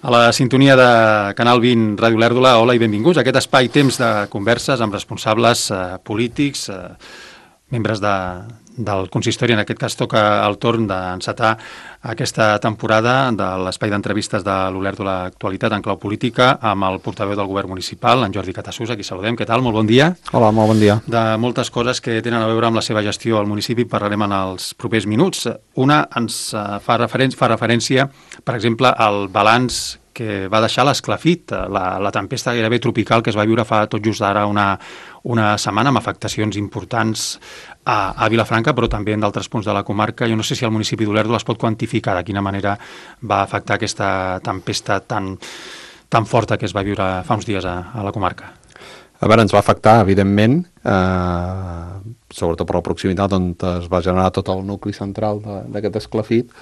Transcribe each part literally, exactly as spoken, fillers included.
A la sintonia de Canal vint Ràdio Olèrdola, hola i benvinguts a aquest espai-temps de converses amb responsables eh, polítics, eh, membres de, del consistori. En aquest cas toca el torn d'encetar aquesta temporada de l'espai d'entrevistes de l'Olèrdola Actualitat en clau política amb el portaveu del govern municipal, en Jordi Catassús, a qui saludem. Què tal? Molt bon dia. Hola, molt bon dia. De moltes coses que tenen a veure amb la seva gestió al municipi parlarem en els propers minuts. Una ens fa, referen- fa referència, per exemple, al balanç que va deixar l'esclafit, la, la tempesta gairebé tropical que es va viure fa tot just ara una, una setmana, amb afectacions importants a, a Vilafranca, però també en d'altres punts de la comarca. Jo no sé si el municipi d'Olèrdola es pot quantificar de quina manera va afectar aquesta tempesta tan, tan forta que es va viure fa uns dies a, a la comarca. A veure, ens va afectar, evidentment, eh, sobretot per la proximitat on es va generar tot el nucli central d'aquest esclafit,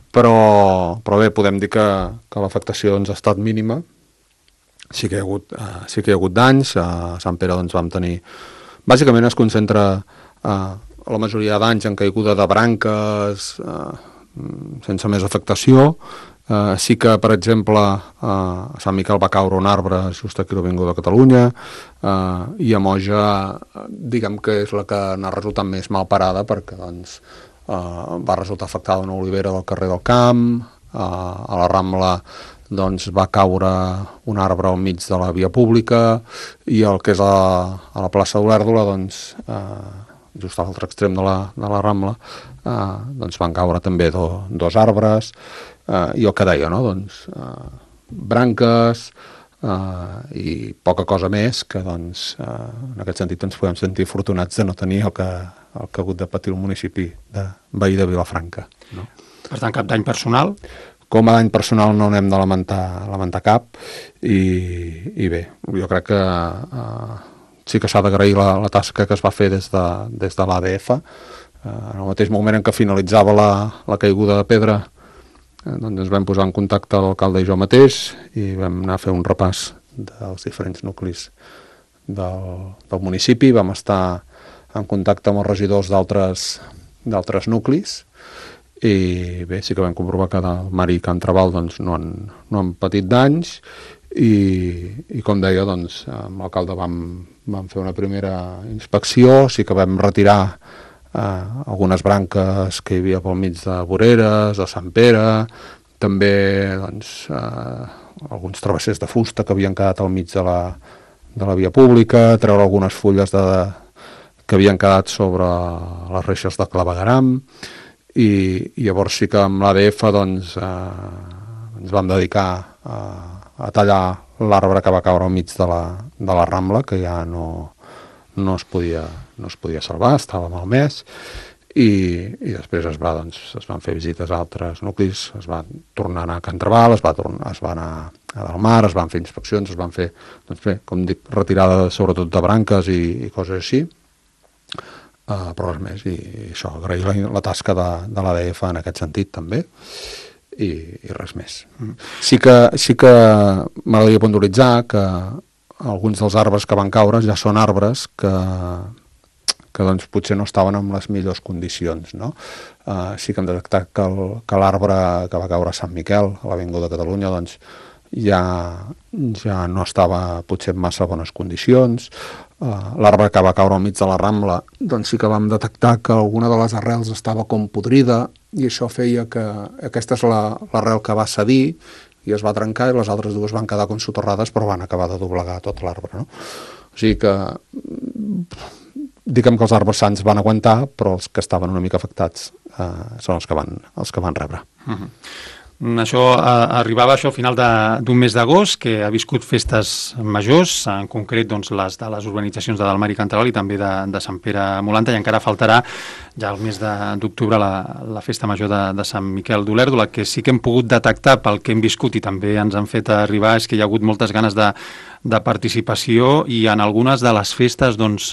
però, però bé, podem dir que, que l'afectació ens ha estat mínima. Sí que hi ha hagut, eh, sí que hi ha hagut danys. A Sant Pere doncs, vam tenir... Bàsicament es concentra eh, la majoria de danys en caiguda de branques, eh, sense més afectació. Uh, sí que, per exemple, uh, a Sant Miquel va caure un arbre just aquí a l'Avinguda de Catalunya, uh, i a Moja, diguem que és la que n'ha resultat més mal parada, perquè doncs, uh, va resultar afectada una olivera del carrer del Camp, uh, a la Rambla doncs, va caure un arbre al mig de la via pública, i el que és a, a la plaça d'Olèrdola, doncs, uh, just a l'altre extrem de la, de la Rambla, uh, doncs van caure també do, dos arbres. Uh, i el que deia, no? Doncs, uh, branques uh, i poca cosa més que, doncs, uh, en aquest sentit ens podem sentir afortunats de no tenir el que, el que ha hagut de patir el municipi de veí de Vilafranca. No? Per tant, cap dany personal? Com a dany personal no n'hem de lamentar, lamentar cap, i, i bé, jo crec que uh, sí que s'ha d'agrair la, la tasca que es va fer des de, des de l'A D F. Uh, en el mateix moment en què finalitzava la, la caiguda de pedra, doncs ens vam posar en contacte l'alcalde i jo mateix i vam anar a fer un repàs dels diferents nuclis del, del municipi. Vam estar en contacte amb els regidors d'altres d'altres nuclis i bé, sí que vam comprovar que el Mar i Can Trabal doncs, no, han, no han patit danys i, i com deia, doncs, amb l'alcalde vam, vam fer una primera inspecció. Sí que vam retirar Uh, algunes branques que hi havia pel mig de voreres, de Sant Pere, també doncs, uh, alguns travessers de fusta que havien quedat al mig de la, de la via pública, treure algunes fulles de, que havien quedat sobre les reixes de clavegueram, i, i llavors sí que amb l'A D F doncs, uh, ens vam dedicar a, a tallar l'arbre que va caure al mig de la, de la Rambla, que ja no... no es podia, no es podia salvar, estava malmès, i, i després es, va, doncs, es van fer visites a altres nuclis, es va tornar a anar a Can Trabal, es va, tornar, es va anar a Delmar, es van fer inspeccions, es van fer, doncs bé, com dic, retirada sobretot de branques i, i coses així, uh, però res més, i, i això, agrair la, la tasca de, de l'A D F en aquest sentit també, i, i res més. Mm. Sí que, sí que m'agradaria puntualitzar que alguns dels arbres que van caure ja són arbres que, que doncs, potser no estaven en les millors condicions. No? Uh, sí que hem detectat que, el, que l'arbre que va caure a Sant Miquel, a l'Avinguda de Catalunya, doncs, ja, ja no estava potser en massa bones condicions. Uh, l'arbre que va caure al mig de la Rambla, doncs sí que vam detectar que alguna de les arrels estava com podrida, i això feia que aquesta és l'arrel que va cedir, i es va trencar, i les altres dues van quedar com soterrades, però van acabar de doblegar tot l'arbre. No? O sigui que, diguem que els arbres sants van aguantar, però els que estaven una mica afectats eh, són els que van, els que van rebre. Uh-huh. Això eh, arribava això al final d'un mes d'agost, que ha viscut festes majors, en concret doncs, les de les urbanitzacions de Delmar i Can Trabal i també de, de Sant Pere Molanta, i encara faltarà ja el mes d'octubre la, la festa major de, de Sant Miquel d'Olèrdola. Que sí que hem pogut detectar pel que hem viscut i també ens han fet arribar és que hi ha hagut moltes ganes de, de participació, i en algunes de les festes doncs,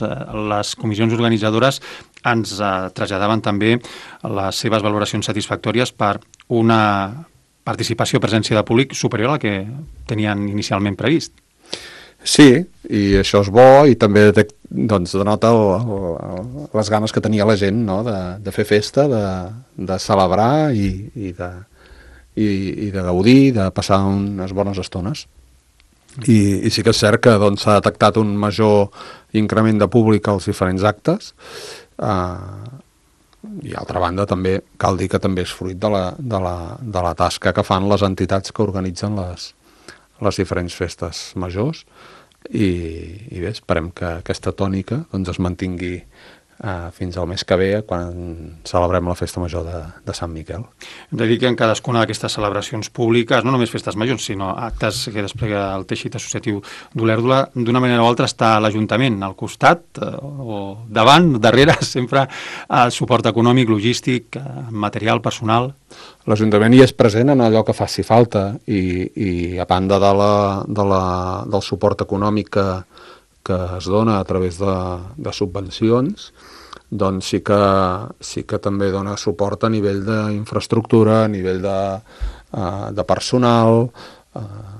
les comissions organitzadores ens eh, traslladaven també les seves valoracions satisfactòries per una participació, presència de públic superior a la que tenien inicialment previst. Sí, i això és bo, i també doncs, denota el, el, les ganes que tenia la gent, no? de, de fer festa, de, de celebrar i, i, de, i, i de gaudir, de passar unes bones estones. I, i sí que és cert que doncs, s'ha detectat un major increment de públic als diferents actes, eh, i altra banda també cal dir que també és fruit de la, de la, de la tasca que fan les entitats que organitzen les, les diferents festes majors, i, i bé, esperem que aquesta tònica doncs, es mantingui Uh, fins al mes que ve, quan celebrem la festa major de, de Sant Miquel. Hem de dir que en cadascuna d'aquestes celebracions públiques, no només festes majors, sinó actes que desplega el teixit associatiu d'Olèrdola, d'una manera o altra està l'Ajuntament al costat, uh, o davant, darrere, sempre uh, suport econòmic, logístic, uh, material, personal. L'Ajuntament hi és present en allò que faci falta, i, i a banda de la, de la, del suport econòmic que que es dona a través de, de subvencions, doncs sí que, sí que també dona suport a nivell d'infraestructura, a nivell de, uh, de personal, uh,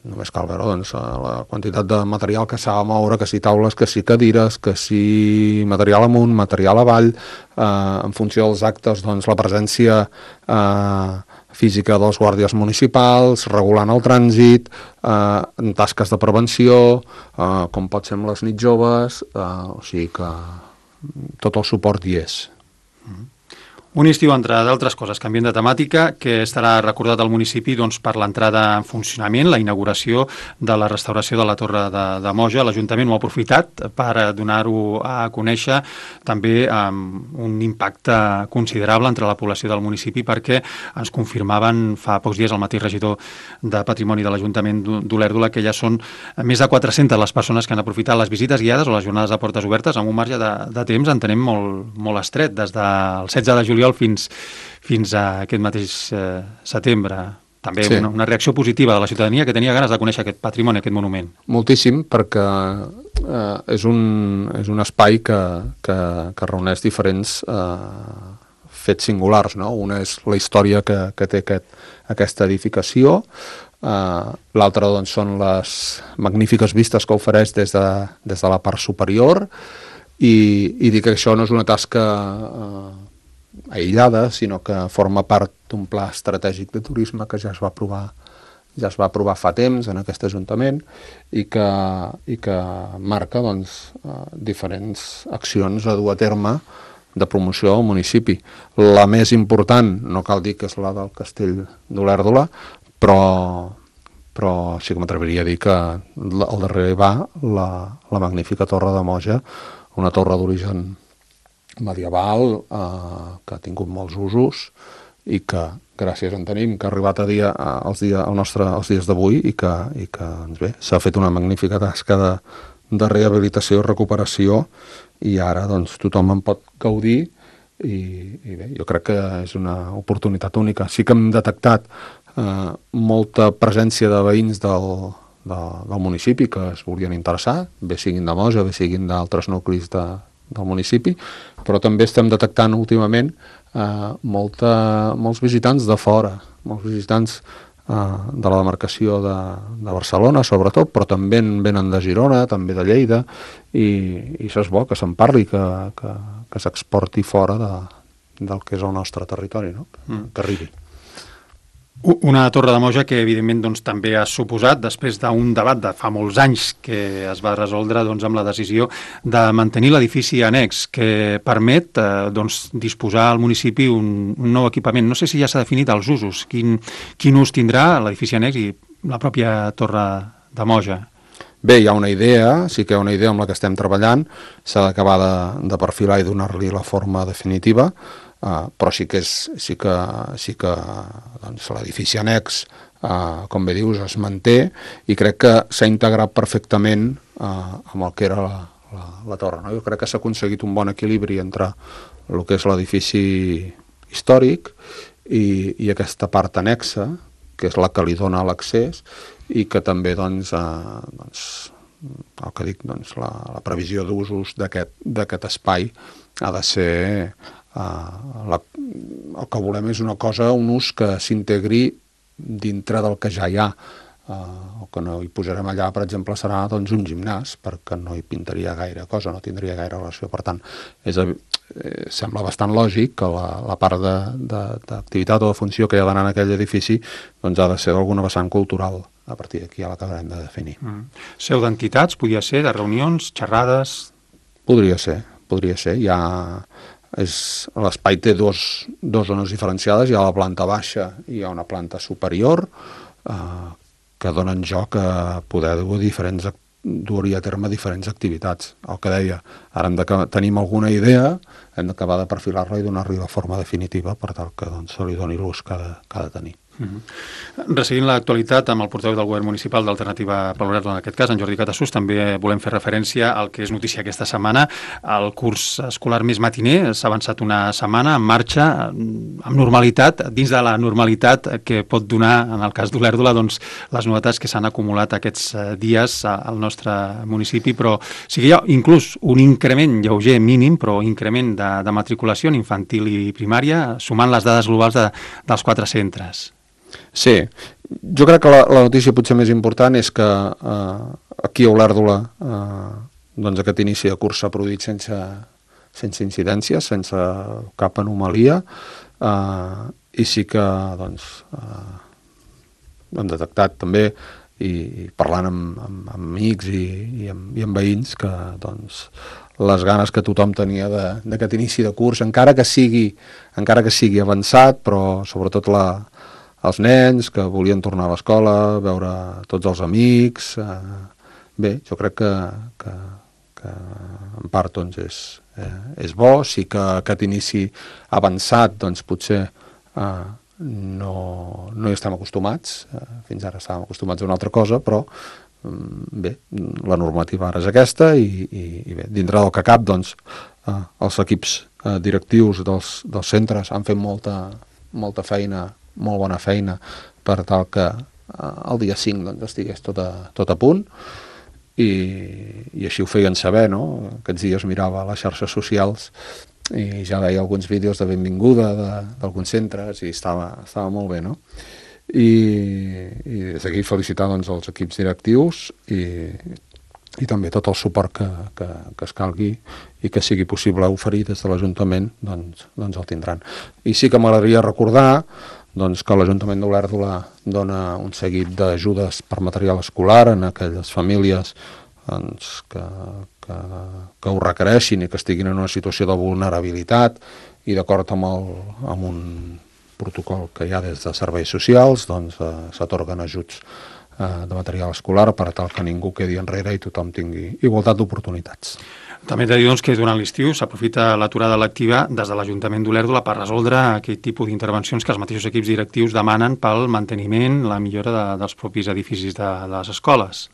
només cal veure doncs, la quantitat de material que s'ha de moure, que si taules, que si cadires, que si material amunt, material avall, uh, en funció dels actes, doncs la presència uh, física dels guàrdies municipals, regulant el trànsit, eh, en tasques de prevenció, eh, com pot ser amb les nits joves, eh, o sigui que tot el suport hi és. Mm-hmm. Un estiu, entre d'altres coses, canviant de temàtica, que estarà recordat al municipi doncs, per l'entrada en funcionament, la inauguració de la restauració de la Torre de, de Moja. L'Ajuntament ho ha aprofitat per donar-ho a conèixer, també amb un impacte considerable entre la població del municipi, perquè ens confirmaven fa pocs dies el mateix regidor de Patrimoni de l'Ajuntament d'Olèrdola que ja són més de quatre-centes les persones que han aprofitat les visites guiades o les jornades de portes obertes amb un marge de, de temps, entenem, molt, molt estret, des del setze de juliol fins, fins a aquest mateix eh, setembre. També sí. una, una reacció positiva de la ciutadania que tenia ganes de conèixer aquest patrimoni, aquest monument. Moltíssim, perquè eh, és, un, és un espai que, que, que reuneix diferents eh, fets singulars, no? Una és la història que, que té aquest, aquesta edificació, eh, l'altra doncs, són les magnífiques vistes que ofereix des de, des de la part superior, i, i dir que això no és una tasca eh, aïllada, sinó que forma part d'un pla estratègic de turisme que ja es va aprovar, ja es va aprovar fa temps en aquest Ajuntament, i que, i que marca doncs, diferents accions a dur a terme de promoció al municipi. La més important, no cal dir que és la del Castell d'Olèrdola, però, però sí que m'atreviria a dir que al darrere va la, la magnífica Torre de Moja, una torre d'origen medieval, eh, que ha tingut molts usos i que gràcies en tenim, que ha arribat a dia, als, dia, al nostre, als dies d'avui, i que, i que doncs bé, s'ha fet una magnífica tasca de, de rehabilitació i recuperació, i ara doncs, tothom en pot gaudir, i, i bé, jo crec que és una oportunitat única. Sí que hem detectat eh, molta presència de veïns del, de, del municipi que es volien interessar, bé siguin de Moja, bé siguin d'altres nuclis de, del municipi, però també estem detectant últimament eh, molta, molts visitants de fora, molts visitants eh, de la demarcació de, de Barcelona, sobretot, però també en venen de Girona, també de Lleida, i, i això és bo, que se'n parli, que, que, que s'exporti fora de, del que és el nostre territori, no? que, mm. que arribi. Una Torre de Moja que, evidentment, doncs, també ha suposat, després d'un debat de fa molts anys que es va resoldre doncs, amb la decisió de mantenir l'edifici annex, que permet eh, doncs, disposar al municipi un, un nou equipament. No sé si ja s'ha definit els usos, quin, quin ús tindrà l'edifici annex i la pròpia Torre de Moja. Bé, hi ha una idea, sí que hi ha una idea amb la que estem treballant, s'ha d'acabar de, de perfilar i donar-li la forma definitiva, Uh, però sí que, és, sí que, sí que doncs, l'edifici annex, uh, com bé dius, es manté, i crec que s'ha integrat perfectament uh, amb el que era la, la, la torre. No? Jo crec que s'ha aconseguit un bon equilibri entre el que és l'edifici històric i, i aquesta part annexa, que és la que li dona l'accés, i que també doncs, uh, doncs, el que dic, doncs, la, la previsió d'usos d'aquest espai ha de ser... Uh, la, el que volem és una cosa, un ús que s'integri dintre del que ja hi ha. Uh, el que no hi posarem allà, per exemple, serà doncs, un gimnàs, perquè no hi pintaria gaire cosa, no tindria gaire relació. Per tant, és, eh, sembla bastant lògic que la, la part d'activitat o de funció que hi ha d'anar en aquell edifici doncs, ha de ser d'alguna vessant cultural. A partir d'aquí ja l'acabarem de definir. Mm. Seu d'entitats, podia ser, de reunions, xerrades... Podria ser, podria ser. Hi ha... L'espai té dos, dos zones diferenciades. Hi ha la planta baixa i hi ha una planta superior, eh, que donen joc a poder dur diferents, dur-hi a terme diferents activitats. El que deia, ara hem de que tenim alguna idea, hem d'acabar de perfilar-la i donar-li la forma definitiva per tal que doncs, se li doni l'ús que, que ha de tenir. Mm-hmm. Resseguint l'actualitat amb el portaveu del govern municipal d'Alternativa per l'Obert, en aquest cas, en Jordi Catassús, també volem fer referència al que és notícia aquesta setmana. El curs escolar més matiner s'ha avançat una setmana en marxa, amb normalitat, dins de la normalitat que pot donar, en el cas d'Olèrdola, doncs, les novetats que s'han acumulat aquests dies al nostre municipi, però sí que hi ha inclús un increment lleuger mínim, però increment de, de matriculació en infantil i primària, sumant les dades globals de, dels quatre centres. Sí, jo crec que la, la notícia potser més important és que eh, aquí a Olèrdola eh, doncs aquest inici de curs s'ha produït sense, sense incidències, sense cap anomalia, eh, i sí que doncs, eh, hem detectat també, i, i parlant amb, amb, amb amics i, i, amb, i amb veïns, que doncs, les ganes que tothom tenia d'aquest inici de curs, encara que sigui, encara que sigui avançat, però sobretot la els nens que volien tornar a l'escola, veure tots els amics... Eh, bé, jo crec que, que, que en part doncs, és, eh, és bo. Sí que aquest inici avançat doncs, potser eh, no, no hi estem acostumats. Eh, fins ara estàvem acostumats a una altra cosa, però bé, la normativa ara és aquesta i, i, i bé, dintre del que cap, doncs, eh, els equips eh, directius dels, dels centres han fet molta, molta feina, molt bona feina per tal que eh, el dia cinc doncs, estigués tot a, tot a punt i, i així ho feien saber, no? Aquests dies mirava les xarxes socials i ja veia alguns vídeos de benvinguda d'alguns centres i estava, estava molt bé, no? I, i des d'aquí felicitar doncs, els equips directius i, i també tot el suport que, que, que es calgui i que sigui possible oferir des de l'Ajuntament, doncs, doncs el tindran. I sí que m'agradaria recordar doncs, que l'Ajuntament d'Olèrdola dona un seguit d'ajudes per material escolar en aquelles famílies doncs, que, que, que ho requereixin i que estiguin en una situació de vulnerabilitat i d'acord amb, el, amb un protocol que hi ha des de serveis socials, doncs eh, s'atorguen ajuts eh, de material escolar per tal que ningú quedi enrere i tothom tingui igualtat d'oportunitats. També hem de dir doncs, que durant l'estiu s'aprofita l'aturada lectiva des de l'Ajuntament d'Olèrdola per resoldre aquell tipus d'intervencions que els mateixos equips directius demanen pel manteniment, la millora de, dels propis edificis de, de les escoles.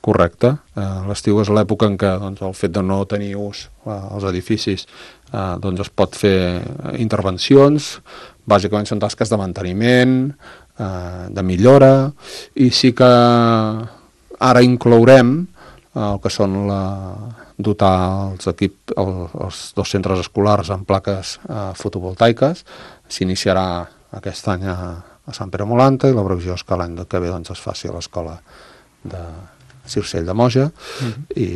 Correcte. Eh, l'estiu és l'època en què doncs, el fet de no tenir ús eh, als edificis eh, doncs es pot fer intervencions, bàsicament són tasques de manteniment, eh, de millora, i sí que ara inclourem eh, el que són la... dotar els, equip, el, els dos centres escolars amb plaques eh, fotovoltaiques. S'iniciarà aquest any a, a Sant Pere Molanta i la previsió és que l'any que ve doncs, es faci a l'escola de Circell de Moja. Mm-hmm. I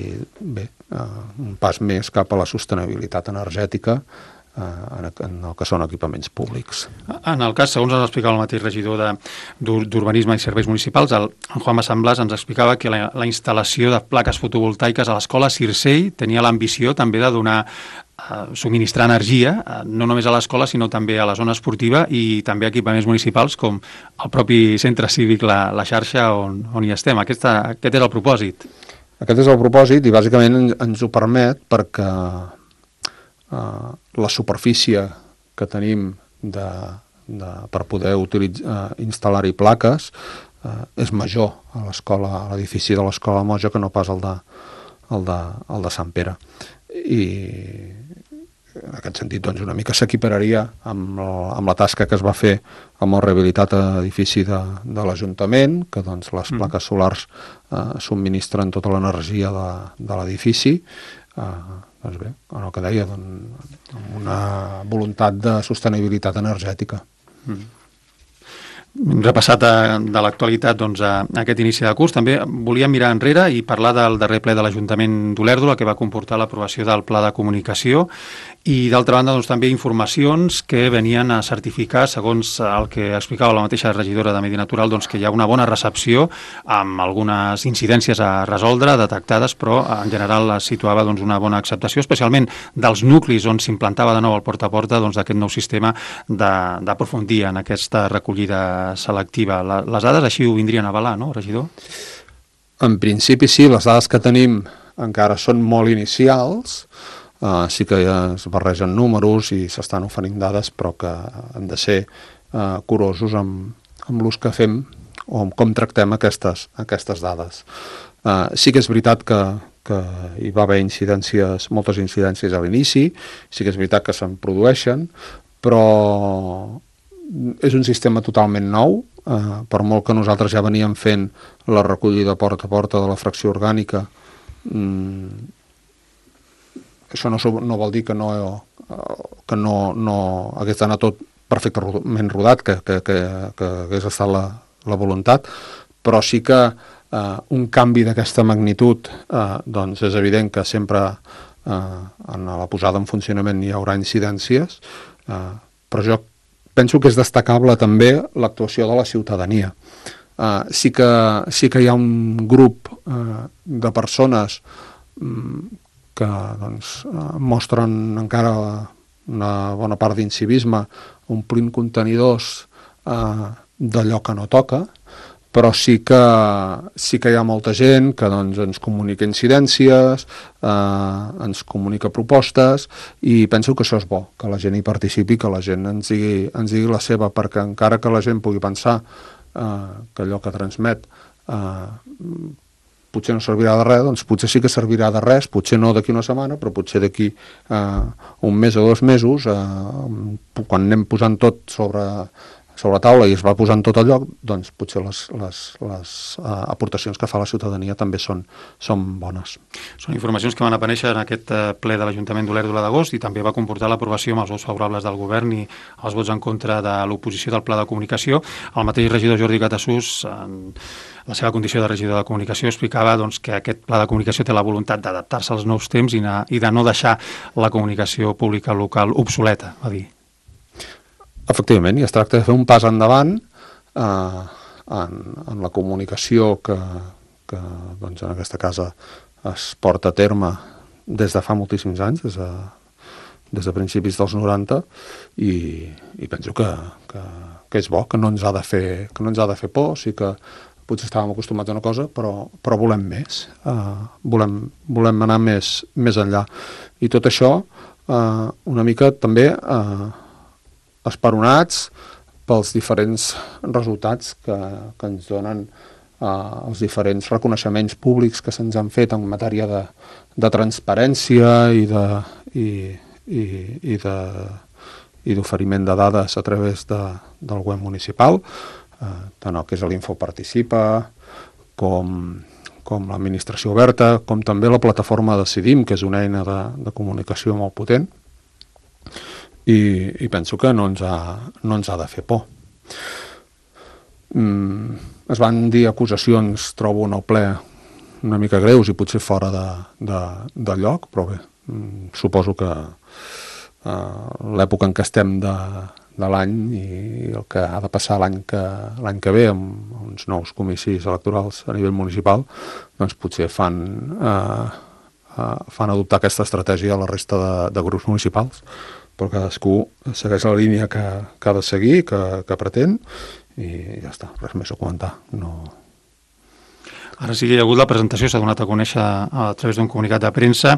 bé, eh, un pas més cap a la sostenibilitat energètica en el que són equipaments públics. En el cas, segons ens explicava el mateix regidor d'Urbanisme i Serveis Municipals, el, en Juan Massamblàs ens explicava que la, la instal·lació de plaques fotovoltaiques a l'escola Circell tenia l'ambició també de donar, eh, subministrar energia, eh, no només a l'escola, sinó també a la zona esportiva i també a equipaments municipals com el propi centre cívic, la, la xarxa on, on hi estem. Aquesta, aquest és el propòsit. Aquest és el propòsit i bàsicament ens ho permet perquè Uh, la superfície que tenim de, de, per poder utilitzar, uh, instal·lar-hi plaques uh, és major a l'escola, a l'edifici de l'escola Moja que no pas el de, el de, el de Sant Pere. I en aquest sentit doncs, una mica s'equipararia amb, amb la tasca que es va fer amb el rehabilitat edifici de, de l'Ajuntament, que doncs, les mm. plaques solars uh, subministren tota l'energia de, de l'edifici. Uh, doncs bé, en el que deia, doncs, amb una voluntat de sostenibilitat energètica. Mm. hem repassat de, de l'actualitat doncs, a, a aquest inici de curs. També volíem mirar enrere i parlar del darrer ple de l'Ajuntament d'Olèrdola, que va comportar l'aprovació del Pla de Comunicació, i d'altra banda doncs, també informacions que venien a certificar, segons el que explicava la mateixa regidora de Medi Natural, doncs, que hi ha una bona recepció amb algunes incidències a resoldre, detectades, però en general es situava doncs, una bona acceptació, especialment dels nuclis on s'implantava de nou el porta a porta doncs, d'aquest nou sistema d'aprofundir en aquesta recollida selectiva. La, les dades així ho vindrien a avalar, no, regidor? En principi sí, les dades que tenim encara són molt inicials. Uh, sí que ja es barregen números i s'estan oferint dades, però que hem de ser uh, curosos amb, amb l'ús que fem o amb com tractem aquestes, aquestes dades. Uh, sí que és veritat que, que hi va haver incidències, moltes incidències a l'inici, sí que és veritat que se'n produeixen, però és un sistema totalment nou, uh, per molt que nosaltres ja veníem fent la recollida porta a porta de la fracció orgànica. mm, Això no, no vol dir que no, que no, no hagués d'anar tot perfectament rodat, que, que, que, que hagués estat la, la voluntat, però sí que eh, un canvi d'aquesta magnitud eh, doncs és evident que sempre eh, en la posada en funcionament hi haurà incidències, eh, però jo penso que és destacable també l'actuació de la ciutadania. Eh, sí, que, sí que hi ha un grup eh, de persones mm, que doncs, mostren encara una bona part d'incivisme omplint contenidors eh, d'allò que no toca, però sí que, sí que hi ha molta gent que doncs, ens comunica incidències, eh, ens comunica propostes, i penso que això és bo, que la gent hi participi, que la gent ens digui, ens digui la seva, perquè encara que la gent pugui pensar eh, que allò que transmet eh, potser no servirà de res, doncs potser sí que servirà de res, potser no d'aquí una setmana, però potser d'aquí eh, un mes o dos mesos, eh, quan anem posant tot sobre, sobre la taula i es va posant tot al lloc, doncs potser les, les, les eh, aportacions que fa la ciutadania també són, són bones. Són informacions que van aparèixer en aquest ple de l'Ajuntament d'Olèrdola d'agost i també va comportar l'aprovació amb els vots favorables del govern i els vots en contra de l'oposició del Pla de Comunicació. El mateix regidor Jordi Catassús, en la seva condició de regidor de comunicació, explicava doncs, que aquest pla de comunicació té la voluntat d'adaptar-se als nous temps i, na, i de no deixar la comunicació pública local obsoleta, va dir. Efectivament, i es tracta de fer un pas endavant eh, en, en la comunicació que, que doncs, en aquesta casa es porta a terme des de fa moltíssims anys, des de, des de principis dels noranta, i, i penso que, que, que és bo, que no ens ha de fer, que no ens ha de fer por. Sí que potser estàvem acostumats a una cosa, però, però volem més, uh, volem, volem anar més, més enllà. I tot això uh, una mica també uh, esperonats pels diferents resultats que, que ens donen uh, els diferents reconeixements públics que se'ns han fet en matèria de, de transparència i de i, i, i de i d'oferiment de dades a través de, del web municipal, Uh, tant el que és l'Info Participa, com, com l'administració oberta, com també la plataforma Decidim, que és una eina de, de comunicació molt potent, i, i penso que no ens ha, no ens ha de fer por. Mm, es van dir acusacions, trobo en el ple, una mica greus i potser fora de, de, de lloc, però bé, mm, suposo que uh, l'època en què estem de de l'any i el que ha de passar l'any que, l'any que ve amb uns nous comicis electorals a nivell municipal, doncs potser fan, eh, eh, fan adoptar aquesta estratègia a la resta de, de grups municipals, però cadascú segueix la línia que, que ha de seguir, que, que pretén, i ja està, res més a comentar. No... Ara sí que hi ha hagut la presentació, s'ha donat a conèixer a través d'un comunicat de premsa,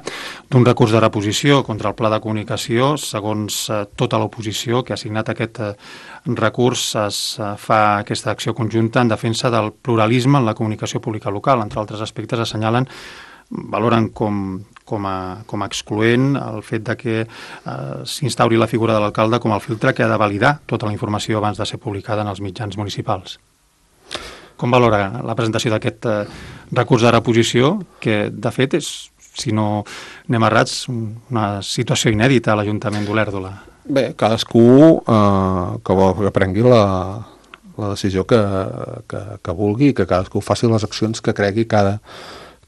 d'un recurs de reposició contra el Pla de Comunicació. Segons eh, tota l'oposició que ha signat aquest eh, recurs, es eh, fa aquesta acció conjunta en defensa del pluralisme en la comunicació pública local. Entre altres aspectes assenyalen, valoren com, com, a, com a excloent el fet de que eh, s'instauri la figura de l'alcalde com el filtre que ha de validar tota la informació abans de ser publicada en els mitjans municipals. Com valora la presentació d'aquest eh, recurs de reposició, que de fet és, si no anem errats, una situació inèdita a l'Ajuntament d'Olèrdola? Bé, cadascú eh, que vol que prengui la, la decisió que, que, que vulgui, que cadascú faci les accions que cregui que ha de,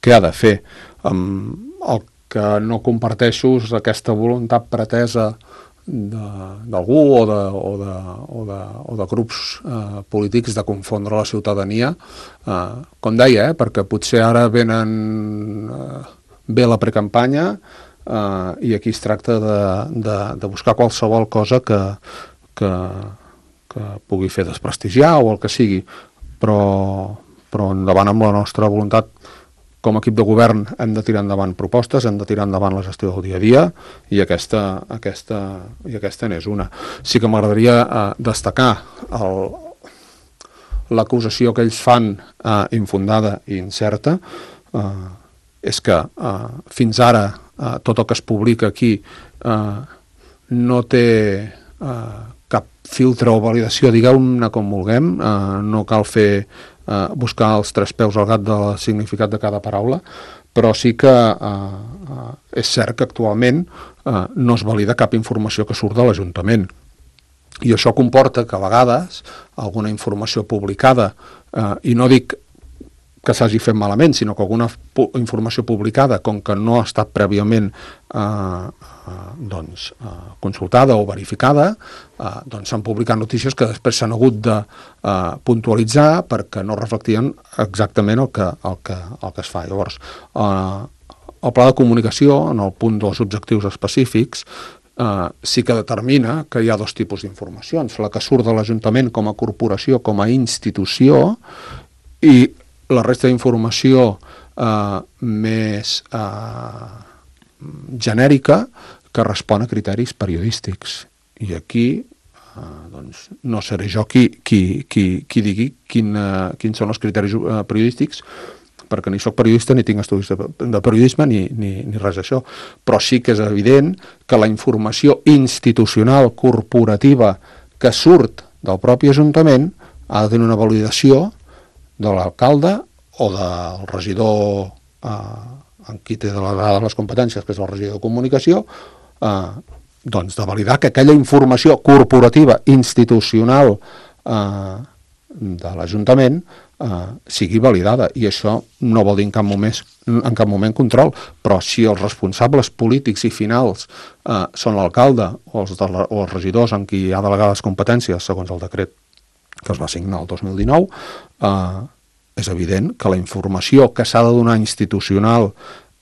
que ha de fer. Um, el que no comparteixo és aquesta voluntat pretesa d'algú o, de, o, de, o, de, o de grups eh, polítics de confondre la ciutadania, eh, com deia, eh, perquè potser ara venen eh, ve la precampanya eh, i aquí es tracta de, de, de buscar qualsevol cosa que, que, que pugui fer desprestigiar o el que sigui, però, però endavant amb la nostra voluntat. Com a equip de govern hem de tirar endavant propostes, hem de tirar endavant la gestió del dia a dia i aquesta, aquesta, i aquesta n'és una. Sí que m'agradaria eh, destacar l'acusació que ells fan eh, infundada i incerta, eh, és que eh, fins ara eh, tot el que es publica aquí eh, no té eh, cap filtre o validació, digueu-ne com vulguem, eh, no cal fer Uh, buscar els tres peus al gat del significat de cada paraula, però sí que uh, uh, és cert que actualment uh, no es valida cap informació que surt de l'Ajuntament. I això comporta que a vegades alguna informació publicada, uh, i no dic que s'hagi fet malament, sinó que alguna pu informació publicada, com que no ha estat prèviament eh, eh, doncs, eh, consultada o verificada, eh, doncs s'han publicat notícies que després s'han hagut de eh, puntualitzar perquè no reflectien exactament el que, el que, el que es fa. Llavors, eh, el pla de comunicació, en el punt dels objectius específics, eh, sí que determina que hi ha dos tipus d'informacions, la que surt de l'Ajuntament com a corporació, com a institució, i la resta d'informació eh, més eh, genèrica que respon a criteris periodístics. I aquí eh, doncs, no seré jo qui, qui, qui, qui digui quin, eh, quins són els criteris eh, periodístics, perquè ni soc periodista ni tinc estudis de, de periodisme ni, ni, ni res d'això. Però sí que és evident que la informació institucional corporativa que surt del propi Ajuntament ha de tenir una validació de l'alcalde o del regidor eh, en qui té de la, les competències, que és el regidor de comunicació, eh, doncs de validar que aquella informació corporativa, institucional eh, de l'Ajuntament eh, sigui validada. I això no vol dir en cap moment, en cap moment control, però si els responsables polítics i finals eh, són l'alcalde o, els de la, o els regidors en qui hi ha delegades competències, segons el decret que es va signar el dos mil dinou, eh, és evident que la informació que s'ha de donar institucional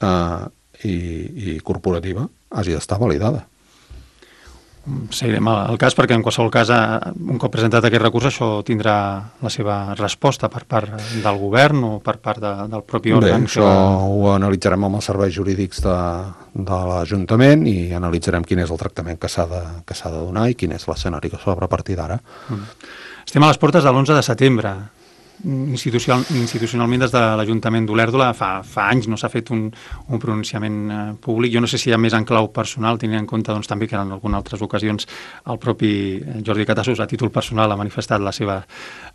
eh, i, i corporativa hagi d'estar validada. Seguirem el cas perquè en qualsevol cas, un cop presentat aquest recurs, això tindrà la seva resposta per part del govern o per part de, del propi òrgan. Bé, això va... ho analitzarem amb els serveis jurídics de, de l'Ajuntament i analitzarem quin és el tractament que s'ha de, que s'ha de donar i quin és l'escenari que s'obre a partir d'ara. Mm. Estem a les portes de l'onze de setembre. Institucional, institucionalment des de l'Ajuntament d'Olèrdola fa, fa anys no s'ha fet un, un pronunciament eh, públic. Jo no sé si hi ha més en clau personal, tenint en compte doncs, també que en algunes altres ocasions el propi Jordi Catassos a títol personal ha manifestat la seva,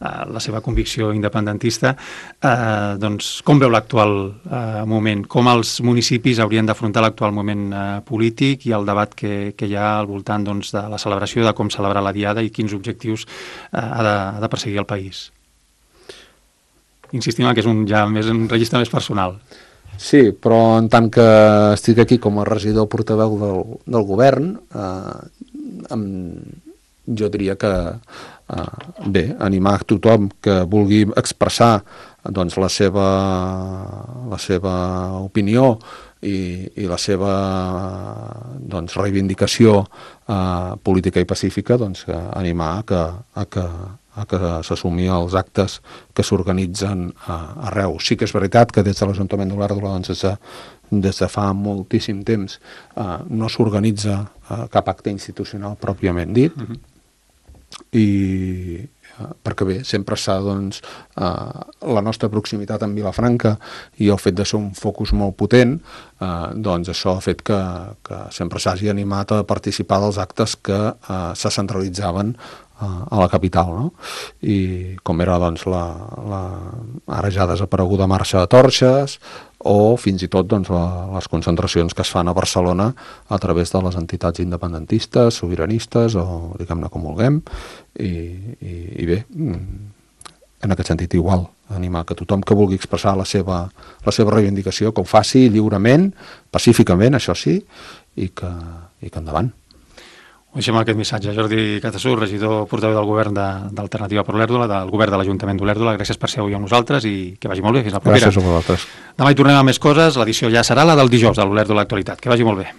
eh, la seva convicció independentista. Eh, doncs, com veu l'actual eh, moment? Com els municipis haurien d'afrontar l'actual moment eh, polític i el debat que, que hi ha al voltant doncs, de la celebració, de com celebrar la Diada i quins objectius eh, ha, de, ha de perseguir el país? Insistim que és un, ja més, un registre més personal. Sí, però en tant que estic aquí com a regidor portaveu del, del govern, eh, amb, jo diria que, eh, bé, animar tothom que vulgui expressar doncs, la seva, la seva opinió i, i la seva doncs, reivindicació eh, política i pacífica, doncs, animar a que, a que a que s'assumi els actes que s'organitzen uh, arreu. Sí que és veritat que des de l'Ajuntament d'Olèrdola doncs, des, de, des de fa moltíssim temps uh, no s'organitza uh, cap acte institucional pròpiament dit, uh-huh. i uh, perquè bé, sempre s'ha doncs, uh, la nostra proximitat amb Vilafranca i el fet de ser un focus molt potent, uh, doncs això ha fet que, que sempre s'hagi animat a participar dels actes que uh, se centralitzaven a la capital, no? I com era doncs la, la ara ja desapareguda marxa de torxes o fins i tot doncs, la, les concentracions que es fan a Barcelona a través de les entitats independentistes, sobiranistes o diguem-ne com vulguem, i, i, i bé, en aquest sentit igual, animar que tothom que vulgui expressar la seva, la seva reivindicació que ho faci lliurement, pacíficament, això sí, i que, i que endavant. Ho deixem aquest missatge. Jordi Catasú, regidor portaveu del govern d'Alternativa per Olèrdola, del govern de l'Ajuntament d'Olèrdola, gràcies per ser avui amb nosaltres i que vagi molt bé, fins la propera. Gràcies a vosaltres. Demà hi tornem amb més coses, l'edició ja serà la del dijous de l'Olèrdola Actualitat. Que vagi molt bé.